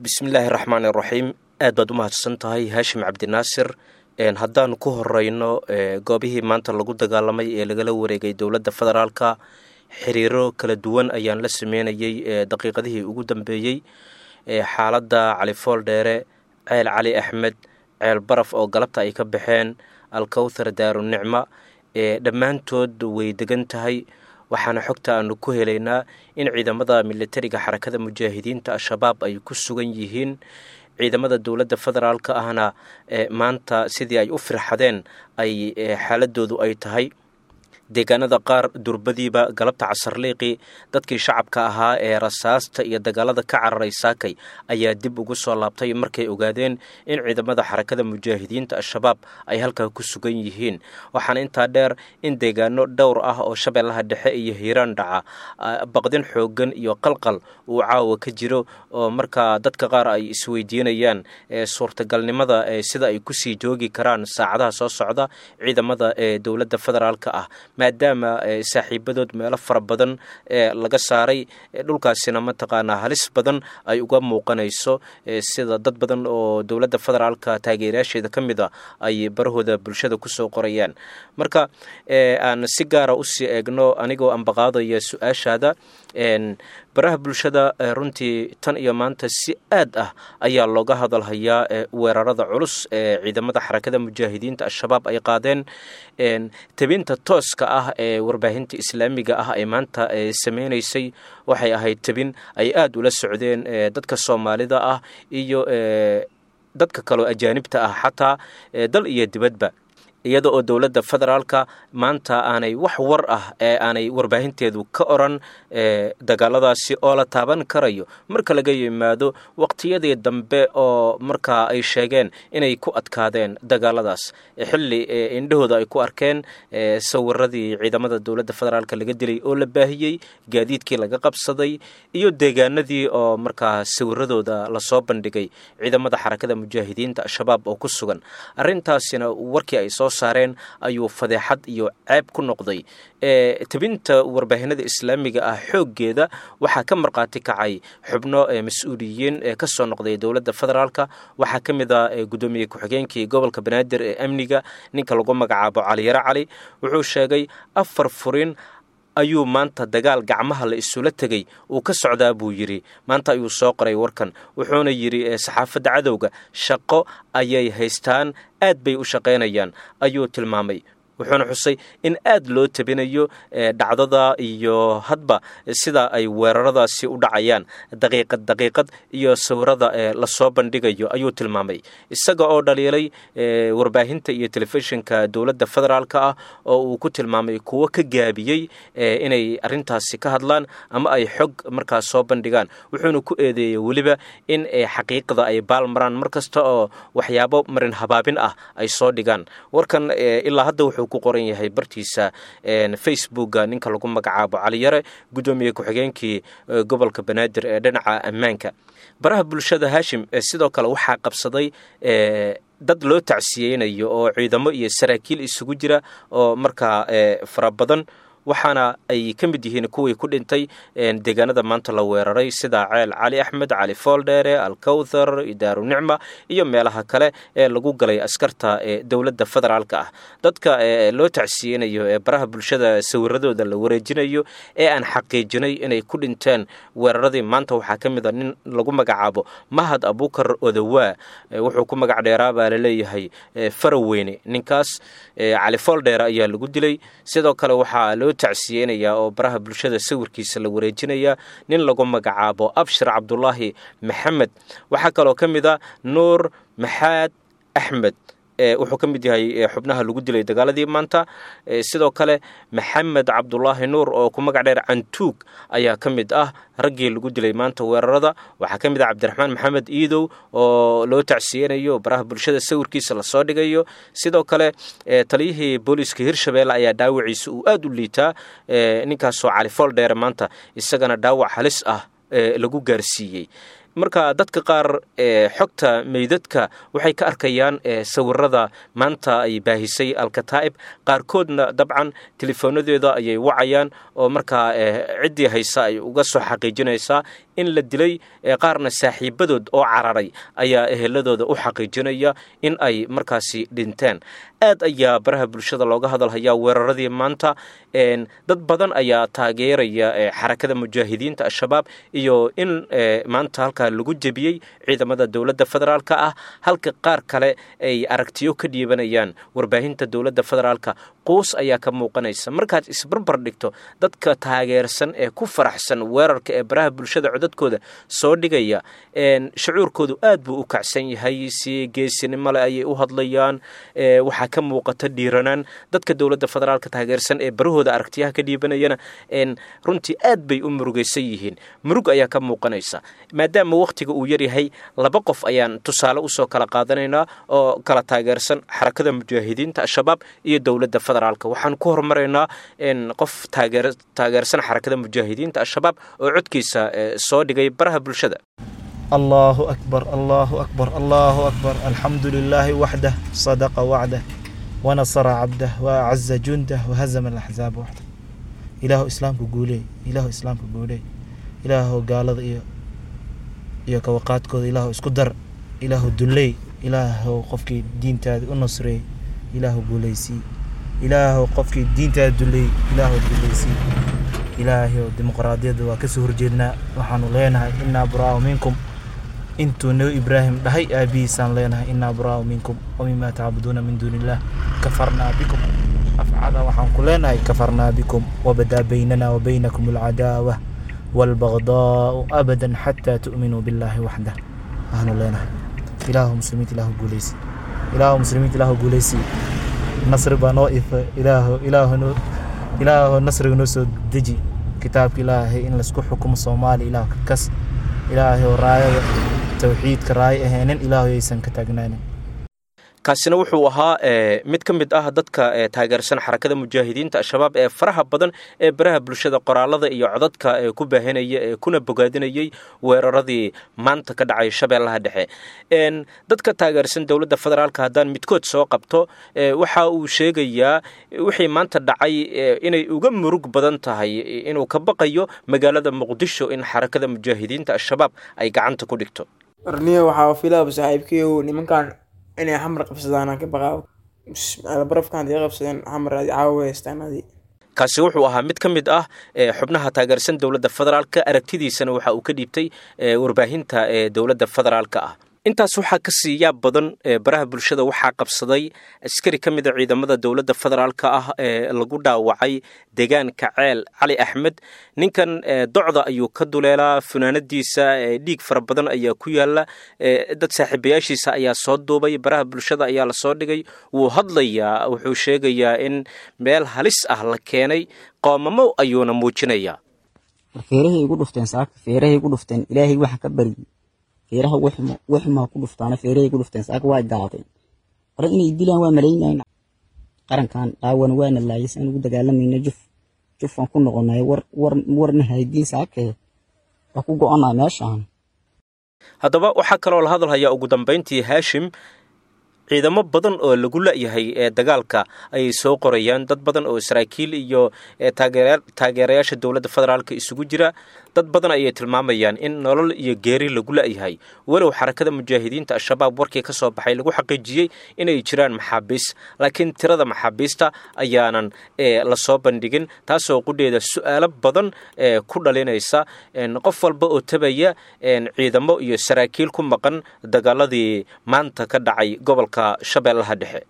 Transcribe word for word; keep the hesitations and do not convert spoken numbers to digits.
Bismillaahi raxmaani raxiim. Aad baad u mahadsan tahay, Haashim Cabdinaasir. Haddaanu ku horeyno goobihii maanta lagu dagaalamay ee lagala wareegay dowladda federaalka, xiriiro kala duwan ayaan la sameynayey daqiiqadihii ugu dambeeyey. Xaaladda Cali Fooldheere, Ceel Cali Axmed, Ceel Baraf oo galabta ay ka baxeen, Alkowthar, Daarunicma, dhammaantood way degan tahay. Waxaana xogta aanu ku helaynaa in ciidamada militariga Xarakada Mujaahidiinta Al-Shabaab ay ku sugan yihiin, ciidamada dowladda federaalka ahna maanta sidii ay u firxadeen ay xaaladoodu ay tahay. Deegaanada qaar durbadiiba galabta casarliiqii dadkii shacabka ahaa ee rasaasta iyo dagaalada ka cararay saakay ayaa dib ugu soo laabtay markay ogaadeen in ciidamada Xarakada Mujaahidiinta Al-Shabaab ay halkaa ku sugan yihiin. Waxaana intaa dheer in deegaano dhowr ah oo Shabeellaha Dhexe iyo Hiiraan dhaca baqdin xooggan iyo qalqal uu caawa ka jiro, oo markaa dadka qaar ay isweydiinayaan suurtagalnimada sida ay kusii joogi karaan saacadaha soo socda ciidamada ee dowladda federaalka ah, maadaama saaxiibadood meelo fara badan laga saaray, dhulkaasina mataqaanaa halis badan ay uga muuqanayso, sida dad badan oo dowladda federaalka taageerayaasheeda ka mid a ay barahooda bulshada kusoo qorayaan. Marka aan si gaara usii eegno, anigoo ambaqaadaya su-aashaada, baraha bulshada runtii tan iyo maanta si aad ah ayaa looga hadalhayaa weerarada culus ee ciidamada Xarakada Mujaahidiinta Al-Shabaab ay qaadeen. Tabinta tooska ah ee warbaahinta islaamiga ah ay maanta sameynaysay waxay ahayd tabin ay aada ula socdeen dadka Soomaalida ah iyo dadka kaloo ajaanibta ah, xataa dal iyo dibadba, iyada oo dowladda federaalka maanta aanay wax war ah ee aanay warbaahinteedu ka oran dagaaladaasi oo la taaban karayo, marka laga yimaado waqtiyadii dambe oo markaa ay sheegeen inay ku adkaadeen dagaaladaas, xilli indhahooda ay ku arkeen sawiradii ciidamada dowladda federaalka laga dilay oo la baahiyey, gaadiidkii laga qabsaday iyo deegaanadii oo markaa sawiradooda lasoo bandhigay ciidamada Xarakada Mujaahidiinta Al-Shabaab oo ku sugan. Arrintaasina warkii ay soo saareen ayuu fadeexad iyo ceeb ku noqday. Tabinta warbaahinada islaamiga ah xooggeeda waxaa ka markhaati kacay xubno mas-uuliyiin ka soo noqday dowladda federaalka. Waxaa ka mid ah guddoomiye ku-xigeenkii gobolka Banaadir ee amniga, ninka lagu magacaabo Caliyare Cali. Wuxuu sheegay afar furin ayuu maanta dagaal gacmaha la isula tegey uu ka socdaa buu yidhi. Maanta ayuu soo qoray warkan, wuxuuna yidhi saxaafadda cadowga shaqo ayay haystaan, aad bay u shaqaynayaan ayuu tilmaamay. Wuxuuna xusay in aad loo tabinayo dhacdada iyo hadba sida ay weeraradaasi u dhacayaan daqiiqad daqiiqad iyo sawirada lasoo bandhigayo ayuu tilmaamay, isaga oo dhaliilay warbaahinta iyo telefishinka dowladda federaalka ah oo uu ku tilmaamay kuwo ka gaabiyey inay arrintaasi ka hadlaan ama ay xog markaas soo bandhigaan. Wuxuuna ku eedeeyey weliba in xaqiiqda ay baal maraan mar kasta oo waxyaabo marin habaabin ah ay soo dhigaan. Warkan ilaa hadda wuxuu ku qoran yahay bartiisa Facebooka ninka lagu magacaabo Caliyare, guddoomiye ku-xigeenkii gobolka Banaadir ee dhinaca ammaanka. Baraha bulshada, Haashim, sidoo kale waxaa qabsaday dad loo tacsiyeynayo oo ciidamo iyo saraakiil isugu jira oo markaa fara badan, waxaana ay ka mid yihiin kuwii ku dhintay deegaanada maanta la weeraray, sida Ceel Cali Axmed, Cali Fooldheere, Alkowthar, Daaru Nicma iyo meelaha kale ee lagu galay askarta ee dowladda federaalka ah. Dadka loo tacsiyeynayo ee baraha bulshada sawiradooda la wareejinayo ee aan xaqiijinay inay ku dhinteen weeraradii maanta waxaa ka mid a nin lagu magacaabo Mahad Abukar Odawaa. Wuxuu ku magac dheeraa baa laleeyahay Faraweyne. Ninkaas Cali Fooldheere ayaa lagu dilay. Sidoo kale waxaa loo tacsiyeynayaa oo baraha bulshada sawirkiisa la wareejinayaa nin lagu magacaabo Abshir Cabdulaahi Maxamed. Waxaa kaloo ka mid a Nuur Maxaad Axmed, wuxuu ka mid yahay xubnaha lagu dilay dagaaladii maanta. Sidoo kale Maxamed Cabdulaahi Nuur oo ku magac dheer Cantuug ayaa ka mid ah raggii lagu dilay maanta weerarada. Waxaa ka mid ah Cabdiraxmaan Maxamed Iidow oo loo tacsiyeynayo, baraha bulshada sawirkiisa lasoo dhigayo. Sidoo kale taliyihii booliiska Hirshabeelle ayaa dhaawaciisa uu aada u liitaa, ninkaasoo Cali Fooldheere maanta isagana dhaawac halis ah lagu gaarsiiyey. Marka dadka qaar xogta meydadka waxay ka arkayaan sawirada maanta ay baahisay Alkataa'ib, qaarkoodna dabcan telefoonadeeda ayay wacayaan oo markaa ciddii haysa ay uga soo xaqiijinaysaa in la dilay, qaarna saaxiibadood oo cararay ayaa eheladooda u xaqiijinaya in ay markaasi dhinteen. Aad ayaa baraha bulshada looga hadalhayaa weeraradii maanta. Dad badan ayaa taageeraya Xarakada Mujaahidiinta Al-Shabaab iyo in maanta halkaa lagu jebiyey ciidamada dowladda federaalka ah, halka qaar kale ay aragtiyo ka dhiibanayaan warbaahinta dowladda federaalka. Quus ayaa ka muuqanaysa markaad isbarbar dhigto dadka taageersan ee ku faraxsan weerarka ee baraha bulshada codadkooda soo dhigaya. Shucuurkoodu aad buu u kacsan yahay, si geesinimo leh ayay u hadlayaan, waxaa ka muuqata dhiiranaan. Dadka dowladda federaalka taageersan ee barahooda aragtiyaha ka dhiibanayana runtii aad bay u murugaysan yihiin, murug ayaa ka muuqanaysa. Maadaama wakhtiga uu yaryahay, laba qof ayaan tusaale usoo kala qaadanaynaa oo kala taageersan Xarakada Mujaahidiinta Al-Shabaab iyo dowladda federaalka. Waxaan ku horumaraynaa qof taageer taageersan Xarakada Mujaahidiinta Al-Shabaab oo codkiisa soo dhigay baraha bulshada. الله أكبر، الله أكبر، الله أكبر، الحمد لله وحده، صدق وعده ونصر عبده وأعز جنده وهزم الأحزاب وحده. إله إسلامك قولي، إله إسلامك قولي، إله قال iyo iyo kawaqaadkooda Ilaahu isku dar, Ilaahu dulley, Ilaahu qofkii diintaada u nusreey, Ilaahu guulaysii, Ilaahu qofkii diintaada dulley, Ilaahu guulaysii. Ilaahay, dimuqraadiyadda waa kasoo horjeednaa. Waxaanu leenahay innaa buraa'u minkum. Intuu Nebi Ibraahim dhahay aabihiisaan leenahay innaa buraa'u minkum wamimaa tacbuduuna min duuni illaah, kafarnaa bikum. Afcada waxaan ku leenahay kafarnaa bikum, wabadaa baynana wa baynakum alcadaawa waalbagdaa'u abadan xataa tu'minuu billaahi waxdah waxaanu leenahay. Ilaahu muslimiinta, Ilaahu guuleysi, Ilaahu muslimiinta, Ilaahu guuleysi. Nasri baa noo ifa. Ilaahu, Ilaahu noo, Ilaahu nasriga noo soo deji. Kitaabka Ilaahay in laisku xukumo Soomaaliya Ilaahu ka kas. Ilaahay oo raayada tawxiidka raayo ahaynin Ilaahu yaysan ka taagnaanin. Kaasina wuxuu ahaa mid ka mid ah dadka taageersan Xarakada Mujaahidiinta Al-Shabaab ee faraha badan ee baraha bulshada qoraalada iyo codadka ee ku baahinaya ee kuna bogaadinayay weeraradii maanta ka dhacay Shabeellaha Dhexe. Dadka taageersan dowladda federaalka haddaan midkood soo qabto, waxa uu sheegayaa wixii maanta dhacay inay uga murug badan tahay inuu ka baqayo magaalada Muqdisho in Xarakada Mujaahidiinta Al-Shabaab ay gacanta ku dhigto. Arniyo waxaa filaaba saaxiibkayow nimankan inay Xamar qabsadaan aan ka baqaa. Barafkan hadii qabsadeen Xamar adi caawa haystaan adi. Kaasi wuxuu ahaa mid ka mid ah xubnaha taageersan dowladda federaalka, aragtidiisana waxa uu ka dhiibtay warbaahinta ee dowladda federaalka ah. Intaas waxaa ka sii yaab badan, baraha bulshada waxaa qabsaday askari ka mid a ciidamada dowladda federaalka ah ee lagu dhaawacay deegaanka Ceel Cali Axmed. Ninkan docda ayuu ka duleelaa, funaanadiisa dhiig fara badan ayaa ku yaala. Dad saaxiibayaashiisa ayaa soo duubay, baraha bulshada ayaa lasoo dhigay. Wuu hadlayaa, wuxuu sheegayaa in meel halis ah la keenay, qoomamo ayuuna muujinayaa. Feerahay igu dhufteen saaka, feerahay igu dhufteen. Ilaahay waxaan ka baryey feeraha wuxuma wuxuma ku dhuftaana. Feerahay igu dhufteen saaka, waa gaadeen hore inay dilaan, waa malaynayna qarankan dhaawan waana laayay saan ugu dagaalamayna. Juf jufaan ku noqonay, war war warna haydiin saakee waa ku go'onaa meeshaan. Haddaba waxaa kaloo la hadalhayaa ugu dambayntii, Haashim, ciidamo badan oo lagu la'yahay ee dagaalka ayay soo qorayaan dad badan oo saraakiil iyo taageerayaasha dowladda federaalka isugu jira. Dad badan ayay tilmaamayaan in nolol iyo geeri lagu la'yahay, walow Xarakada Mujaahidiinta Al-Shabaab warkii ka soo baxay lagu xaqiijiyey inay jiraan maxaabiis, laakiin tirada maxaabiista ayaanan lasoo bandhigin, taasoo qudheeda su'aalo badan ku dhalinaysa qof walba oo tabaya ciidamo iyo saraakiil ku maqan dagaaladii maanta ka dhacay gobolka Shabeellaha Dhexe.